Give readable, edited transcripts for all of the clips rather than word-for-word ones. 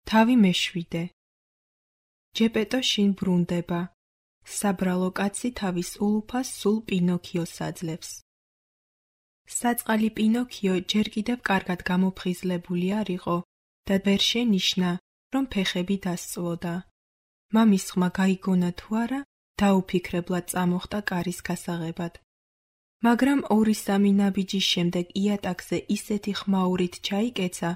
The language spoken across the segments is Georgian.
თავი მეშვიდე. ჯეპეტო შინ ბრუნდება. საბრალო კაცი თავის ულუფას სულ პინოქიოს აძლევს. საწყალი პინოქიო ჯერ კიდევ კარგად გამოფხიზლებული არ იყო და ვერ შენიშნა, რომ ფეხები დასწვოდა. მამის ხმა გაიგონა თუ არა, დაუფიქრებლად წამოხდა კარის გასაღებად. მაგრამ 2-3 ნაბიჯის შემდეგ იატაკზე ისეთი ხმაურით ჩაიკეცა,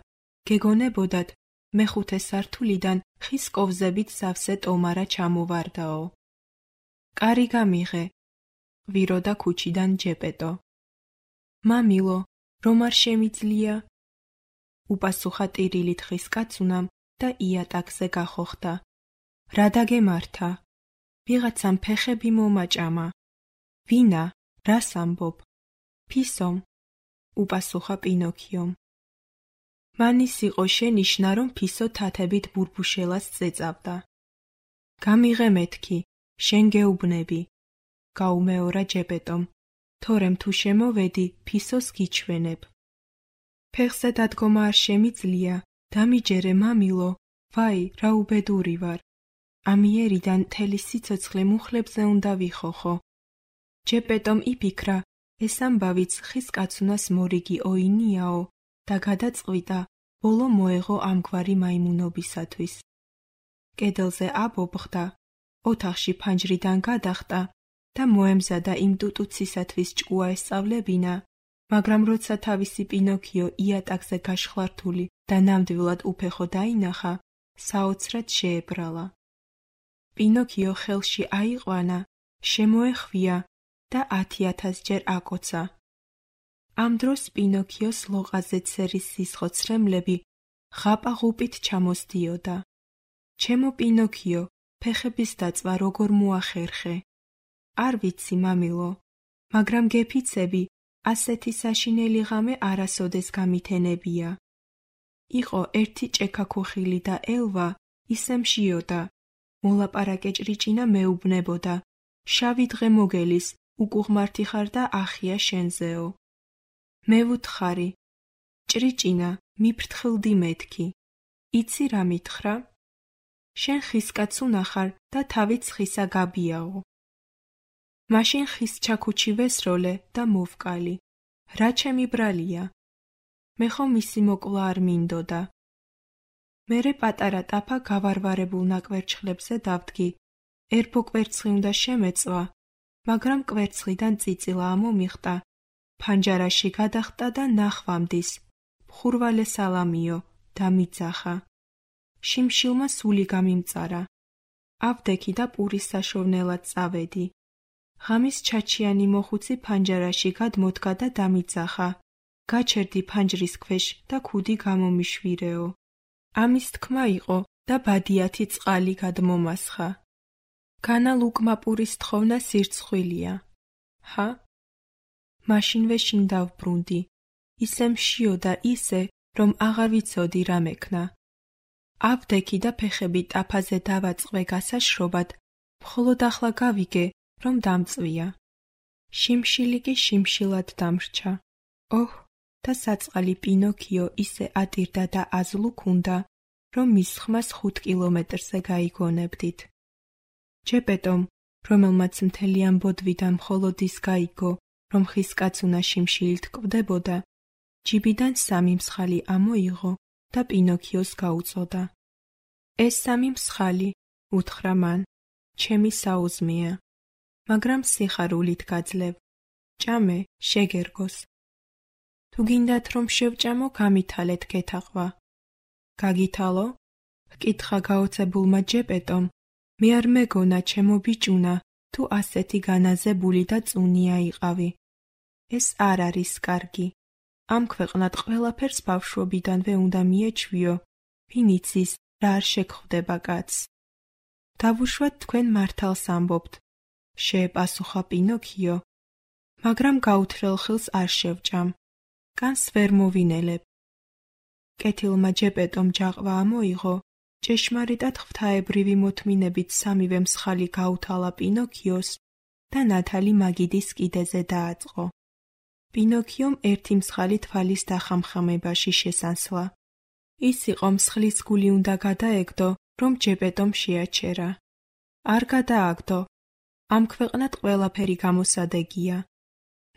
გეგონებოდათ მეხუთე სართულიდან ხის კოვზებით სავსე ტომარა ჩამოვარდაო. კარი გამიღე, ყვიროდა ქუჩიდან ჯეპეტო. მამილო, რომ არ შემიძლია? უპასუხა ტირილით ხის კაცუნამ და იატაკზე გახოხდა. რა დაგემართა? ვიღაცამ ფეხები მომაჭამა. ვინა? რას ამბობ? ფისომ, უპასუხა პინოქიომ. მანის იყო შენიშნა, რომ ფისო თათებით ბურბუშელას წეწავდა. გამიღე მეთქი, შენ გეუბნები, გაუმეორა ჯეპეტომ, თორემ თუ შემოვედი, ფისოს გიჩვენებ. ფეხზე დადგომა არ შემიძლია, დამიჯერე მამილო, ვაი, რა უბედური ვარ. ამიერიდან მთელი სიცოცხლე მუხლებზე უნდა ვიხოხო. ჯეპეტომ იფიქრა, ეს ამბავიც ხის კაცუნას მორიგი ოინიაო და გადაწყვიტა, ბოლო მოეღო ამგვარი მაიმუნობისათვის. კედელზე აბობხდა, ოთახში ფანჯრიდან გადახტა და მოემზადა იმ ტუტუცისათვის ჭკუა ესწავლებინა, მაგრამ როცა თავისი პინოქიო იატაკზე გაშხლართული და ნამდვილად უფეხო დაინახა, საოცრად შეებრალა. პინოქიო ხელში აიყვანა, შემოეხვია და 10,000 ჯერ აკოცა. ამ დროს პინოქიოს ლოყაზე ცერის სისხლცრემლები ღაპაღუპით ჩამოსდიოდა. ჩემო პინოქიო, ფეხების დაწვა როგორ მოახერხე? არ ვიცი, მამილო, მაგრამ გეფიცები, ასეთი საშინელი ღამე არასოდეს გამითენებია. იყო ერთი ჭექაქუხილი და ელვა, ისე მშიოდა. მოლაპარაკე ჭრიჭინა მეუბნებოდა, შავი დღე მოგელის, უკუღმართი ხარ და ახია შენზეო. მე ვუთხარი, ჭრიჭინა, მიფრთხილდი მეთქი. იცი რა მითხრა? შენ ხისკაც უნახარ და თავიც ხისა გაბიაო. მაშინ ხის ჩაქუჩი ვესროლე და მოვკალი. რა ჩემი ბრალია? მე ხომ მისი მოკლა არ მინდოდა. მერე პატარა ტაფა გავარვარებულ ნაკვერცხლებზე დავდგი. ერბო კვერცხი უნდა შემეწვა, მაგრამ კვერცხიდან წიწილა ამომიხტა. ფანჯარაში გადახტა და ნახვამდის. ხურვალე სალამიო, დამიძახა. შიმშილმა სული გამიმწარა. ავდექი და პურის საშოვნელად წავედი. ღამის ჩაჩიანი მოხუცი ფანჯარაში გადმოდგა და დამიძახა. გაჩერდი ფანჯრის ქვეშ და ქუდი გამომიშვირეო. ამის თქმა იყო და ბადიათი წყალი გადმომასხა. განალ უკმა პურის თხოვნა სირცხვილია. ჰა? მაშინვე შინ დავბრუნდი. ისე მშიოდა ისე, რომ აღარ ვიცოდი რა მექნა. ავდექი და ფეხები ტაფაზე დავაწყვე გასაშრობად, მხოლოდ ახლა გავიგე, რომ დამწვია. შიმშილი კი შიმშილად დამრჩა. ოჰ, და საწყალი პინოქიო ისე ატირდა და აზლუქუნდა, რომ მის ხმას 5 კილომეტრზე გაიგონებდით. ჯეპეტომ, რომელმაც მთელი ამბოდვიდან მხოლოდ ის გაიგო, რომ ხის კაცუნა შიმშილით კვდებოდა, ჯიბიდან 3 მსხალი ამოიღო და პინოქიოს გაუწოდა. ეს 3 მსხალი, უთხრა მან, ჩემი საუზმეა, მაგრამ სიხარულით გაძლევ. ჭამე, შეგერგოს. თუ გინდათ რომ შევჭამო, გამითალეთ გეთაყვა. გაგითალო? ჰკითხა გაოცებულმა ჯეპეტომ, მე არ მეგონა ჩემო ბიჭუნა, თუ ასეთი განაზებული და წუნია იყავი. ეს არ არის კარგი. ამ ქვეყნად ყველაფერს ბავშვობიდანვე უნდა მიეჩვიო, ვინ იცის რა არ შეგხვდება კაცს. დავუშვათ თქვენ მართალს ამბობთ, შეეპასუხა პინოქიო, მაგრამ გაუთრელ ხილს არ შევჭამ, კანს ვერ მოვინელებ. კეთილმა ჯეპეტომ ჯაყვა ამოიღო, ჭეშმარიტად ღვთაებრივი მოთმინებით 3 მსხალი გაუთალა პინოქიოს და ნათალი მაგიდის კიდეზე დააწყო. პინოქიომ ერთი მსხალი თვალის დახამხამებაში შესანსლა. ის იყო მსხლის გული უნდა გადაეგდო, რომ ჯეპეტომ შეაჩერა. არ გადააგდო. ამ ქვეყნად ყველაფერი გამოსადეგია.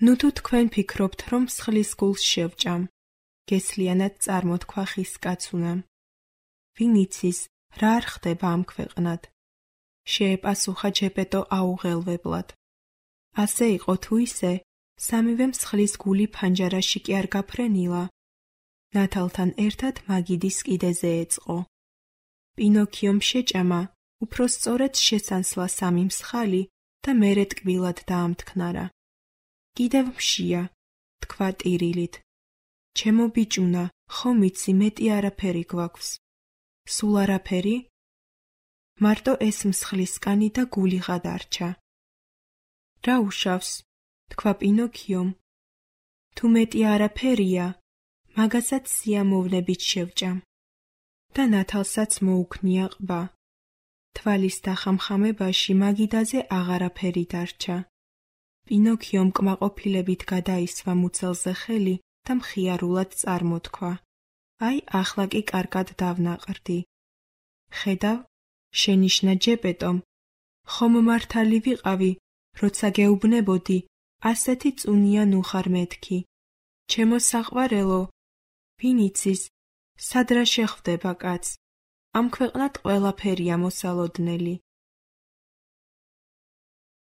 ნუ თუ თქვენ ფიქრობთ, რომ მსხლის გულს შევჭამ, გესლიანად წარმოთქვა ხის კაცუნამ. ვინ იცის, რა არ ხდება ამ ქვეყნად? შეეპასუხა ჯეპეტო აუღელვებლად. ასე იყო თუ ისე, სამივე მსხლის გული ფანჯარაში კი არ გაფრენილა. ნათალთან ერთად მაგიდის კიდეზე ეწყო. პინოქიომ შეჭამა, უფრო სწორედ შესანსლა სამი მსხალი და მერე ტკბილად დაამთქნარა. კიდევ მშია, თქვა ტირილით. ჩემო ბიჭუნა, ხომ იცი მეტი არაფერი გვაქვს. სულ არაფერი? მარტო ეს მსხლისკანი და გული გადარჩა. რა უშავს? თქვა პინოქიომ. თუ მეტი არაფერია, მაგასაც სიამოვნებით შევჭამ. და ნათალსაც მოუქნია ყბა. თვალის დახამხამებაში მაგიდაზე აღარაფერი დარჩა. პინოქიომ კმაყოფილებით გადაისვა მუცელზე ხელი და მხიარულად წარმოთქვა. აი, ახლა კი კარგად დავნაყრდი. ხედავ, შენიშნა ჯეპეტომ, ხომ მართალი ვიყავი, როცა გეუბნებოდი, ასეთი წუნია ნუ ხარ მეთქი. ჩემო საყვარელო, ვინ იცის, სად რა შეხვდება კაც? ამ ქვეყნად ყველაფერია მოსალოდნელი.